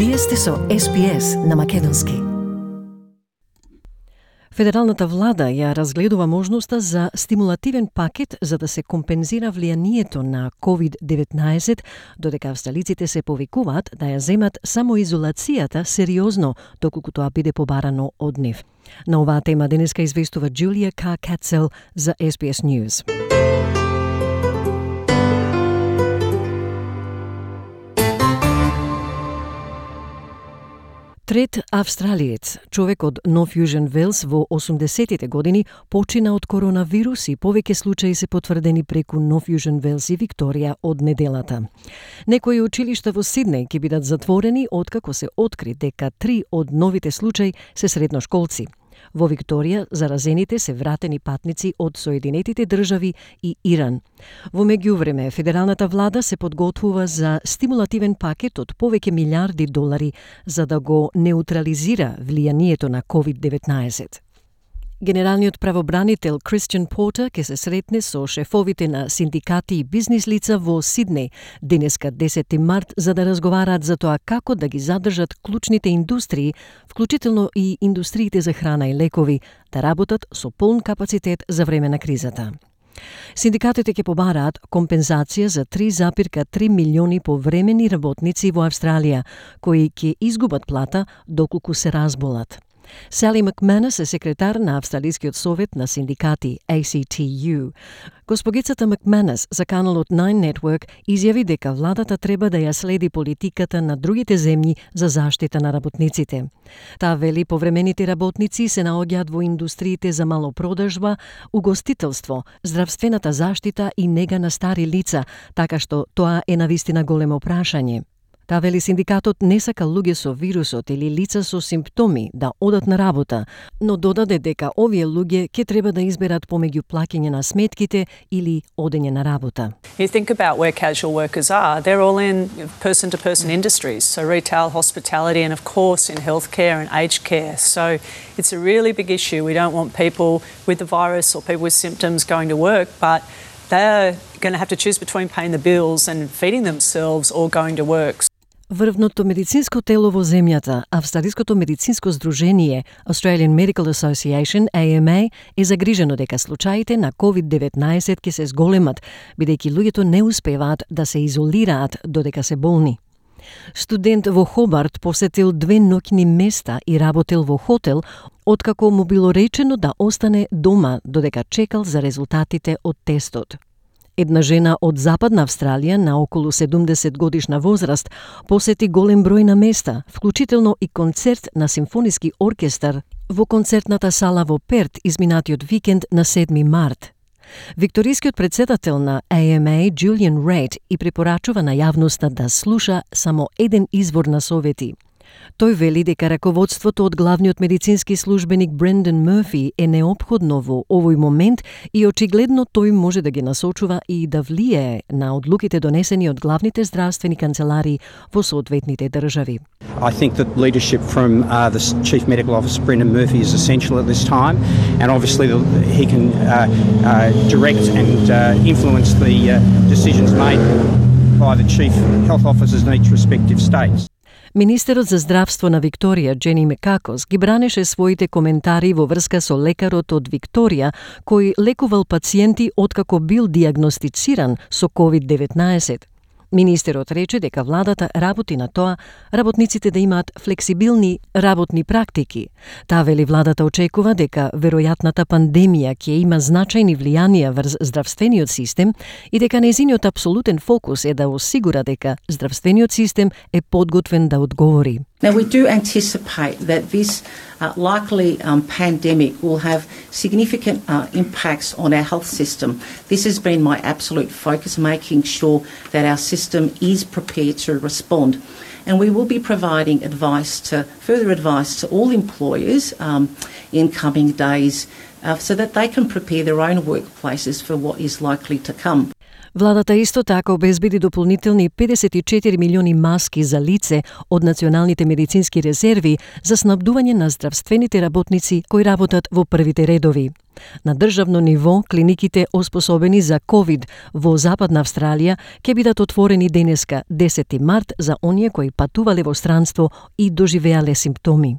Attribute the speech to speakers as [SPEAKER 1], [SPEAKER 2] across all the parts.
[SPEAKER 1] Вие сте со SPS на македонски. Федералната влада ја разгледува можноста за стимулативен пакет за да се компензира влијанието на COVID-19, додека австралиците се повикуваат да ја земат самоизолацијата сериозно, доколку тоа биде побарано од нив. На оваа тема денеска известува Джулија Кацел за SBS News. Трет австралиец, човек од Нов Јужен Велс во 80-тите години, почина од коронавирус и повеќе случаи се потврдени преку Нов Јужен Велс и Викторија од неделата. Некои училишта во Сиднеј ќе бидат затворени откако се откри дека 3 од новите случаи се средношколци. Во Викторија заразените се вратени патници од Соединетите држави и Иран. Во меѓувреме, федералната влада се подготвува за стимулативен пакет од повеќе милиарди долари за да го неутрализира влијанието на COVID-19. Генералниот правобранител Кристијан Портер ќе се сретне со шефовите на синдикати и бизнис лица во Сиднеј денеска 10 март за да разговараат за тоа како да ги задржат клучните индустрии, вклучително и индустриите за храна и лекови, да работат со полн капацитет за време на кризата. Синдикатите ќе побараат компензација за 3,3 милиони повремени работници во Австралија, кои ќе изгубат плата доколку се разболат. Сали Макманес е секретар на Австралискиот совет на синдикати ACTU. Госпогицата Макманес за каналот Nine Network изјави дека владата треба да ја следи политиката на другите земји за заштита на работниците. Таа вели повремените работници се наоѓаат во индустриите за малопродажба, угостителство, здравствената заштита и нега на стари лица, така што тоа е навистина големо прашање. Та вели синдикатот не сака луѓе со вирусот или лица со симптоми да одат на работа, но додаде дека овие луѓе ќе треба да изберат помеѓу плаќање на сметките или одење на работа.
[SPEAKER 2] You think about where casual workers are, they're all in person-to-person industries, so retail, hospitality and of course in healthcare and aged care. So it's a really big issue. We don't want people with the virus or people with symptoms going to work, but they're going to have to choose between paying the bills and feeding themselves or going to work.
[SPEAKER 1] Врвното медицинско тело во земјата, Австралиското медицинско здружение Australian Medical Association, AMA, е загрижено дека случаите на COVID-19 ќе се зголемат, бидејќи луѓето не успеваат да се изолираат додека се болни. Студент во Хобарт посетил 2 ноќни места и работел во хотел, откако му било речено да остане дома додека чекал за резултатите од тестот. Една жена од Западна Австралија на околу 70 годишна возраст посети голем број на места, вклучително и концерт на симфониски оркестар во концертната сала во Перт изминатиот викенд на 7 март. Викторискиот председател на AMA, Джулијан Рейд, и препорачува на јавноста да слуша само еден извор на совети. Тој вели дека раководството од главниот медицински службеник Брендан Мърфи е неопходно во овој момент и очигледно тој може да ги насочува и да влијае на одлуките донесени од главните здравствени канцелари во соодветните држави.
[SPEAKER 3] I think that leadership from the Chief Medical Officer, Brendan Murphy, is essential at this time, and obviously he can direct and influence the decisions made by the Chief Health Officers in each respective states.
[SPEAKER 1] Министерот за здравство на Викторија, Джени Мекакос, ги бранеше своите коментари во врска со лекарот од Викторија, кој лекувал пациенти откако бил диагностициран со COVID-19. Министерот рече дека владата работи на тоа работниците да имаат флексибилни работни практики. Таа вели владата очекува дека веројатната пандемија ќе има значајни влијанија врз здравствениот систем и дека нејзиниот апсолутен фокус е да осигура дека здравствениот систем е подготвен да одговори.
[SPEAKER 4] Now, we do anticipate that this likely pandemic will have significant impacts on our health system. This has been my absolute focus, making sure that our system is prepared to respond. And we will be providing further advice to all employers in coming days so that they can prepare their own workplaces for what is likely to come.
[SPEAKER 1] Владата исто така обезбеди дополнителни 54 милиони маски за лице од националните медицински резерви за снабдување на здравствените работници кои работат во првите редови. На државно ниво, клиниките оспособени за COVID во Западна Австралија ќе бидат отворени денеска 10 март за оние кои патувале во странство и доживеале симптоми.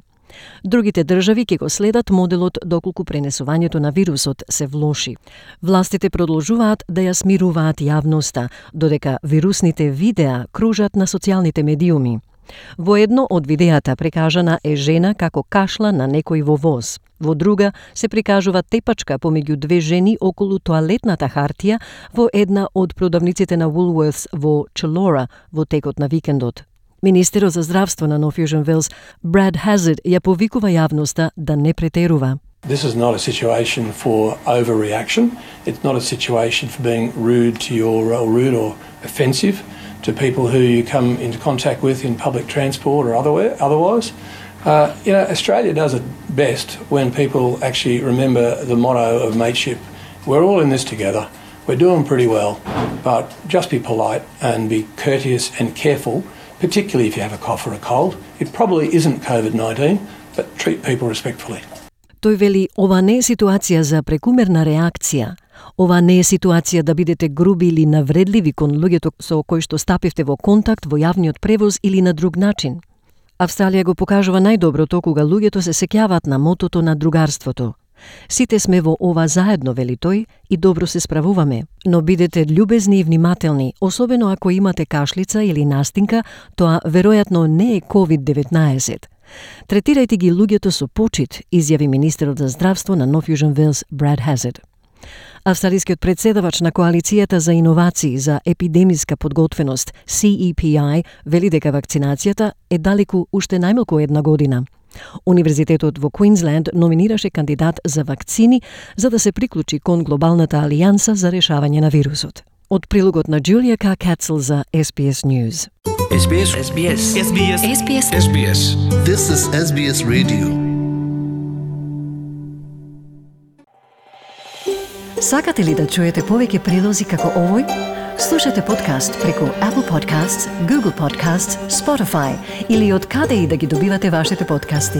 [SPEAKER 1] Другите држави ќе го следат моделот доколку пренесувањето на вирусот се влоши. Властите продолжуваат да ја смируваат јавноста, додека вирусните видеа кружат на социјалните медиуми. Во едно од видеата прикажана е жена како кашла на некој во воз. Во друга се прикажува тепачка помеѓу две жени околу тоалетната хартија во една од продавниците на Woolworths во Chullora во текот на викендот. Министерот за здравство на North Fusion Wales, Brad Hazzard, ја повикува јавноста да не претерува.
[SPEAKER 5] This is not a situation for overreaction. It's not a situation for being rude or offensive to people who you come into contact with in public transport or otherwise. Australia does it best when people actually remember the motto of mateship. We're all in this together. We're doing pretty well, but just be polite and be courteous and careful, particularly if you have a cough or a cold. It probably isn't COVID-19, but treat people respectfully.
[SPEAKER 1] Тој вели, ова не е ситуација за прекумерна реакција. Ова не е ситуација да бидете груби или навредливи кон луѓето со кои што стапивте во контакт во јавниот превоз или на друг начин. Австралија го покажува најдоброто кога луѓето се сеќаваат на мотото на другарството. Сите сме во ова заедно, вели тој, и добро се справуваме, но бидете љубезни и внимателни, особено ако имате кашлица или настинка, тоа веројатно не е COVID-19. Третирајте ги луѓето со почит, изјави министерот за здравство на North Fusion Wales, Brad Hazzard. Австралискиот председавач на Коалицијата за иновации за епидемиска подготвеност, CEPI, вели дека вакцинацијата е далеку уште најмалку една година. Универзитетот во Квинсленд номинираше кандидат за вакцини за да се приклучи кон глобалната алијанса за решавање на вирусот. Од прилогот на Джулија Кацел за SBS News.
[SPEAKER 6] SBS. SBS. SBS. SBS. SBS.
[SPEAKER 7] This is SBS Radio.
[SPEAKER 1] Сакате ли да чуете повеќе прилози како овој? Слушате подкаст преку Apple Podcasts, Google Podcasts, Spotify или од каде и да ги добивате вашите подкасти.